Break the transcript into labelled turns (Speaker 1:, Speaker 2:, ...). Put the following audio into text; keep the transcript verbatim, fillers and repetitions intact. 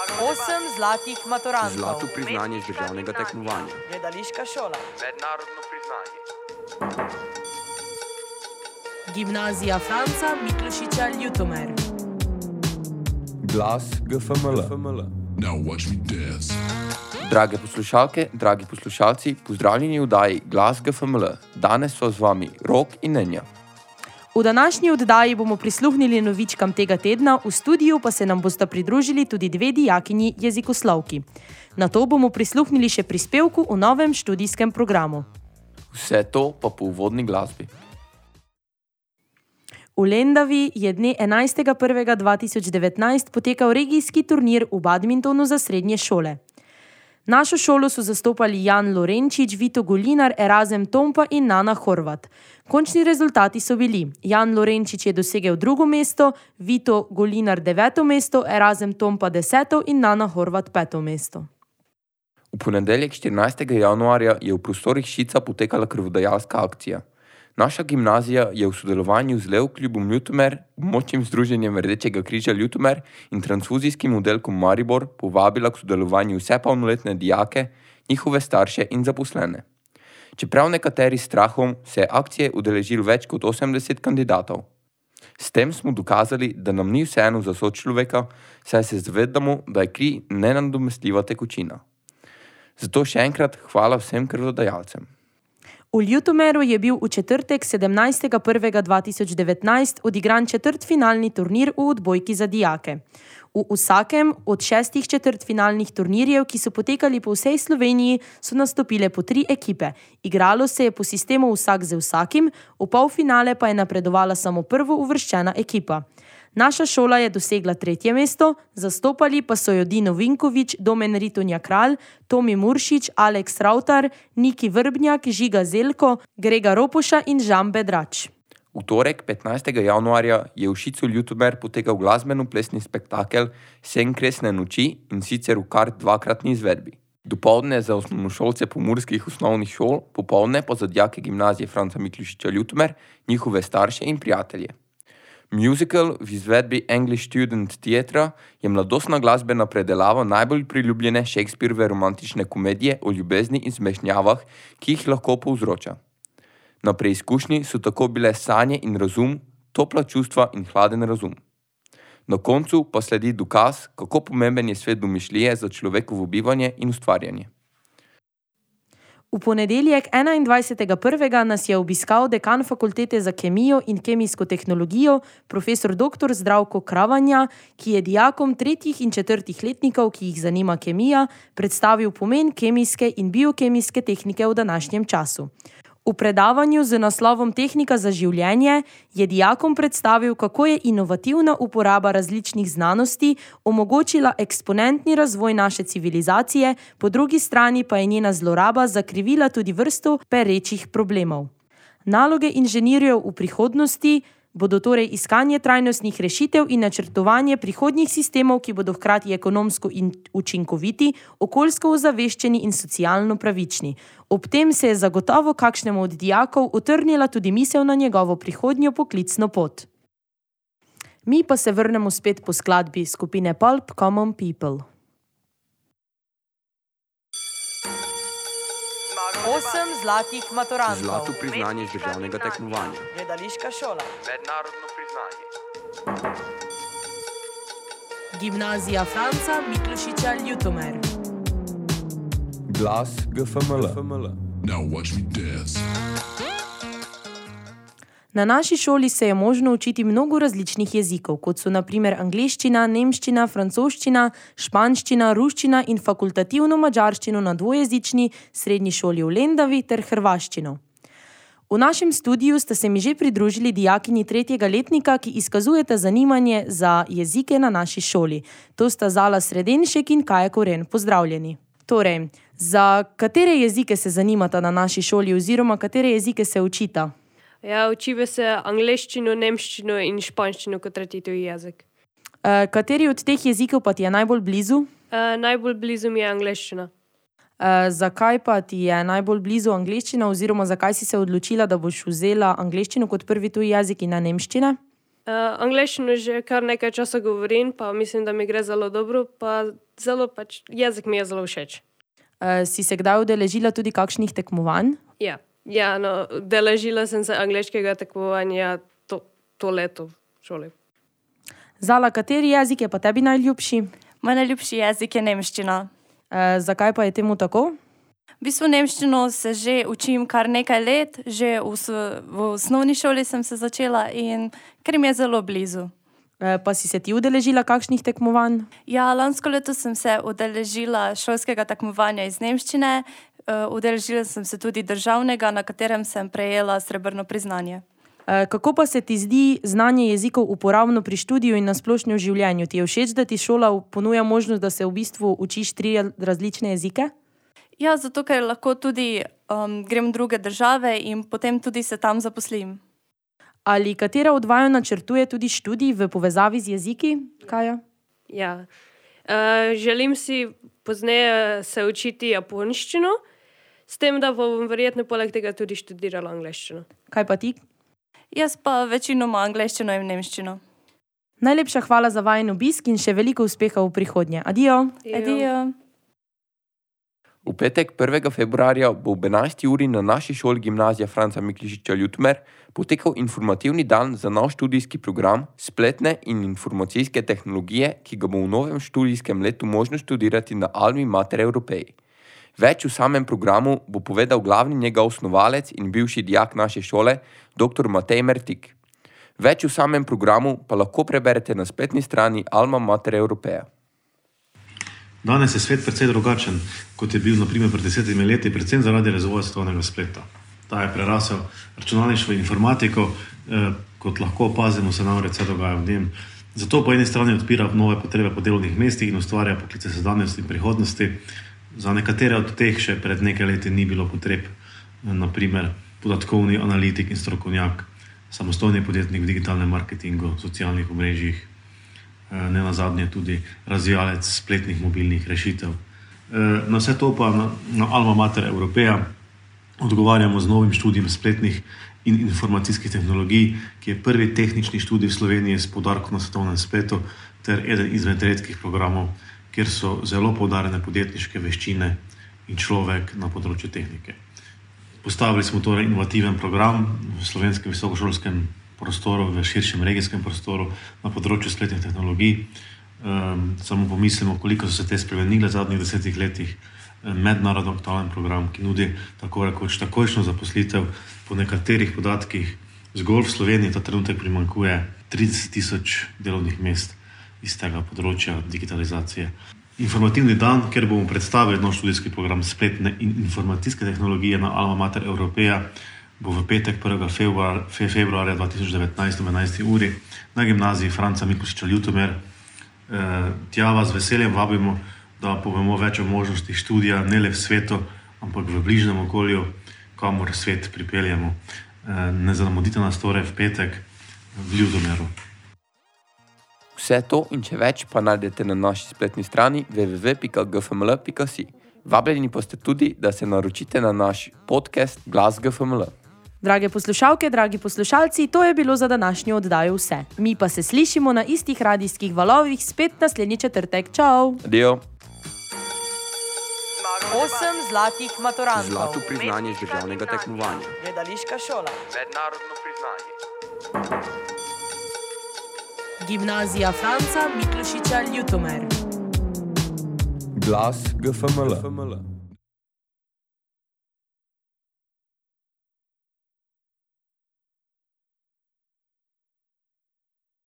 Speaker 1: Osem zlatih maturantov.
Speaker 2: Zlato priznanje z državnega tekmovanja.
Speaker 1: Gledališka šola.
Speaker 3: Mednarodno priznanje.
Speaker 1: Gimnazija Franca Miklošiča Ljutomer.
Speaker 2: Glas G F M L.
Speaker 4: Now watch me dance.
Speaker 2: Drage poslušalke, dragi poslušalci, pozdravljeni v oddaji Glas G F M L. Danes so z vami Rok in Nenja.
Speaker 1: V današnji oddaji bomo prisluhnili novičkam tega tedna, v studiu pa se nam bosta pridružili tudi dve dijakinji jezikoslovki. Nato bomo prisluhnili še prispevku v novem študijskem programu.
Speaker 2: Vse to pa po uvodni glasbi.
Speaker 1: V Lendavi je dne enajstega prvega dva tisoč devetnajst potekal regijski turnir v badmintonu za srednje šole. Našo šolo so zastopali Jan Lorenčič, Vito Golinar, Erazem Tompa in Nana Horvat. Končni rezultati so bili: Jan Lorenčič je dosegel drugo mesto, Vito Golinar deveto mesto, Erazem Tompa deseto in Nana Horvat peto mesto.
Speaker 2: V ponedeljek štirinajstega januarja je v prostorih Šica potekala krvodajalska akcija. Naša gimnazija je v sodelovanju z Lev klubom Ljutomer, območnim združenjem Rdečega križa Ljutomer in transfuzijskim oddelkom Maribor povabila k sodelovanju vse polnoletne dijake, njihove starše in zaposlene. Čeprav nekateri strahom, se je akcije udeležilo več kot osemdeset kandidatov. S tem smo dokazali, da nam ni vseeno za sočloveka, saj se zavedamo, da je kri nenadomestljiva tekočina. Zato še enkrat hvala vsem krvodajalcem.
Speaker 1: V Ljutomeru je bil v četrtek sedemnajstega prvega dva tisoč devetnajst odigran četrtfinalni turnir v odbojki za dijake. V vsakem od šestih četrtfinalnih turnirjev, ki so potekali po vsej Sloveniji, so nastopile po tri ekipe. Igralo se je po sistemu vsak z vsakim, v polfinale pa je napredovala samo prvo uvrščena ekipa. Naša šola je dosegla tretje mesto, zastopali pa so jo Dino Vinkovič, Domen Ritonja Kralj, Tomi Muršič, Aleks Ravtar, Niki Vrbnjak, Žiga Zelko, Grega Ropoša in Žan Bedrač.
Speaker 2: V torek, petnajstega januarja, je v Šicu Ljutomer potekal glasbeno-plesni spektakel Sen kresne noči, in sicer v kar dvakratni izvedbi. Dopoldne za osnovnošolce pomurskih osnovnih šol, popoldne pa za dijake gimnazije Franca Miklošiča Ljutomer, njihove starše in prijatelje. Musical v izvedbi English Student Theatre je mladostna glasbena predelava najbolj priljubljene Shakespearove romantične komedije o ljubezni in zmešnjavah, ki jih lahko povzroča. Na preizkušnji so tako bile sanje in razum, topla čustva in hladen razum. Na koncu pa sledi dokaz, kako pomemben je svet domišljije za človekovo bivanje in ustvarjanje.
Speaker 1: V ponedeljek enaindvajsetega prvega nas je obiskal dekan fakultete za kemijo in kemijsko tehnologijo, profesor doktor Zdravko Kravanja, ki je dijakom tretjih in četrtih letnikov, ki jih zanima kemija, predstavil pomen kemijske in biokemijske tehnike v današnjem času. V predavanju z naslovom Tehnika za življenje je dijakom predstavil, kako je inovativna uporaba različnih znanosti omogočila eksponentni razvoj naše civilizacije, po drugi strani pa je njena zloraba zakrivila tudi vrsto perečih problemov. Naloge inženirjev v prihodnosti bodo torej iskanje trajnostnih rešitev in načrtovanje prihodnjih sistemov, ki bodo hkrati ekonomsko in učinkoviti, okoljsko ozaveščeni in socialno pravični. Ob tem se je zagotovo kakšnemu od dijakov utrnila tudi misel na njegovo prihodnjo poklicno pot. Mi pa se vrnemo spet po skladbi skupine Pulp Common People. Osem zlatih maturantov.
Speaker 2: Zlato priznanje z državnega tekmovanja.
Speaker 1: Gledališka šola.
Speaker 3: Mednarodno priznanje.
Speaker 1: Gimnazija Franca Miklošiča Ljutomer.
Speaker 2: Glas G F M L.
Speaker 4: Now watch me dance.
Speaker 1: Na naši šoli se je možno učiti mnogo različnih jezikov, kot so na primer angleščina, nemščina, francoščina, španščina, ruščina in fakultativno madžarščino na dvojezični srednji šoli v Lendavi ter hrvaščino. V našem studiu sta se mi že pridružili dijakinji tretjega letnika, ki izkazujeta zanimanje za jezike na naši šoli. To sta Zala Sredenšek in Kaja Koren. Pozdravljeni. Torej, za katere jezike se zanimata na naši šoli oziroma katere jezike se učita?
Speaker 5: Ja, učiva se angleščino, nemščino in španščino kot tretji tuji jezik.
Speaker 1: E, kateri od teh jezikov pa ti je najbolj blizu?
Speaker 5: E, najbolj blizu mi je angleščina.
Speaker 1: E, zakaj pa ti je najbolj blizu angleščina oziroma zakaj si se odločila, da boš vzela angleščino kot prvi tuji jezik in ne nemščine?
Speaker 5: Uh, angleščino že kar nekaj časa govorim, pa mislim, da mi gre zelo dobro, pa zelo pač jezik mi je zelo všeč.
Speaker 1: Uh, si se kdaj udeležila tudi kakšnih tekmovanj?
Speaker 5: Ja, ja no, udeležila sem se angleškega tekmovanja to, to leto v šoli.
Speaker 1: Zala, kateri jezik je pa tebi najljubši?
Speaker 6: Moj najljubši jezik je nemščina.
Speaker 1: Uh, zakaj pa je temu tako?
Speaker 6: V bistvu nemščino se že učim kar nekaj let, že v, v osnovni šoli sem se začela in ker mi je zelo blizu.
Speaker 1: Uh, pa si se ti udeležila kakšnih tekmovanj?
Speaker 6: Ja, lansko leto sem se udeležila šolskega tekmovanja iz nemščine, uh, udeležila sem se tudi državnega, na katerem sem prejela srebrno priznanje.
Speaker 1: Uh, kako pa se ti zdi znanje jezikov uporabno pri študiju in na splošno v življenju? Ti je všeč, da ti šola ponuja možnost, da se v bistvu učiš tri različne jezike?
Speaker 6: Ja, zato ker lahko tudi um, grem v druge države in potem tudi se tam zaposlim.
Speaker 1: Ali katera od vaju načrtuje tudi študij v povezavi z jeziki, Kaja?
Speaker 5: Ja. Uh, želim si pozneje se učiti japonščino, s tem, da bom verjetno poleg tega tudi študirala angleščino.
Speaker 1: Kaj pa ti?
Speaker 6: Jaz pa večinoma angleščino in nemščino.
Speaker 1: Najlepša hvala za vajen obisk in še veliko uspeha v prihodnje. Adijo!
Speaker 6: Adijo!
Speaker 2: V petek prvega februarja bo ob enajsti uri na naši šoli Gimnazija Franca Miklošiča Ljutomer potekal informativni dan za nov študijski program spletne in informacijske tehnologije, ki ga bo v novem študijskem letu možno študirati na Almi Mater Europeji. Več v samem programu bo povedal glavni njegov osnovalec in bivši dijak naše šole, doktor Matej Mertik. Več v samem programu pa lahko preberete na spletni strani Alma Mater Europeja.
Speaker 7: Danes je svet precej drugačen, kot je bil na primer pred desetimi leti, predvsem zaradi razvoja svetovnega spleta. Ta je prerasel računalništvo in informatiko, eh, kot lahko opazimo, se namreč vse dogaja v njem. Zato po eni strani odpira nove potrebe po delovnih mestih in ustvarja poklice sedanjosti in prihodnosti. Za nekatere od teh še pred nekaj leti ni bilo potreb, na primer podatkovni analitik in strokovnjak, samostojni podjetnik v digitalnem marketingu, socialnih omrežjih, ne nazadnje tudi razvijalec spletnih mobilnih rešitev. Na vse to pa na, na Alma Mater Europeja odgovarjamo z novim študijem spletnih in informacijskih tehnologij, ki je prvi tehnični študij v Sloveniji s poudarkom na svetovnem spletu ter eden izmed redkih programov, kjer so zelo poudarjene podjetniške veščine in človek na področju tehnike. Postavili smo torej inovativen program v slovenskem visokošolskem prostoru, v širšem regijskem prostoru na področju spletnih tehnologij. Um, samo pomislimo, koliko so se te spremenile v zadnjih desetih letih. Mednarodno aktualen program, ki nudi tako rekoč takojšnjo zaposlitev. Po nekaterih podatkih zgolj v Sloveniji ta trenutek primanjkuje trideset tisoč delovnih mest iz tega področja digitalizacije. Informativni dan, kjer bomo predstavili nov študijski program spletne in informacijske tehnologije na Alma Mater Europeja, bo v petek prvega februarja dva tisoč devetnajst ob enajsti uri na Gimnaziji Franca Miklošiča Ljutomer. E, tja vas z veseljem vabimo, da povemo več o možnosti študija ne le v svetu, ampak v bližnjem okolju, kamor svet pripeljemo. E, ne zamudite nas torej v petek v Ljutomeru.
Speaker 2: Vse to in če več pa najdete na naši spletni strani w w w pika g f m l pika s i. Vabljeni pa ste tudi, da se naročite na naš podcast Glas G F M L.
Speaker 1: Drage poslušalke, dragi poslušalci, to je bilo za današnjo oddajo vse. Mi pa se slišimo na istih radijskih valovih spet naslednji četrtek. Čau!
Speaker 2: Adijo!
Speaker 1: Osem zlatih maturantov.
Speaker 8: Zlato priznanje z državnega tekmovanja.
Speaker 1: Gledališka šola.
Speaker 3: Mednarodno priznanje.
Speaker 1: Gimnazija Franca Miklošiča Ljutomer.
Speaker 2: Glas G F M L.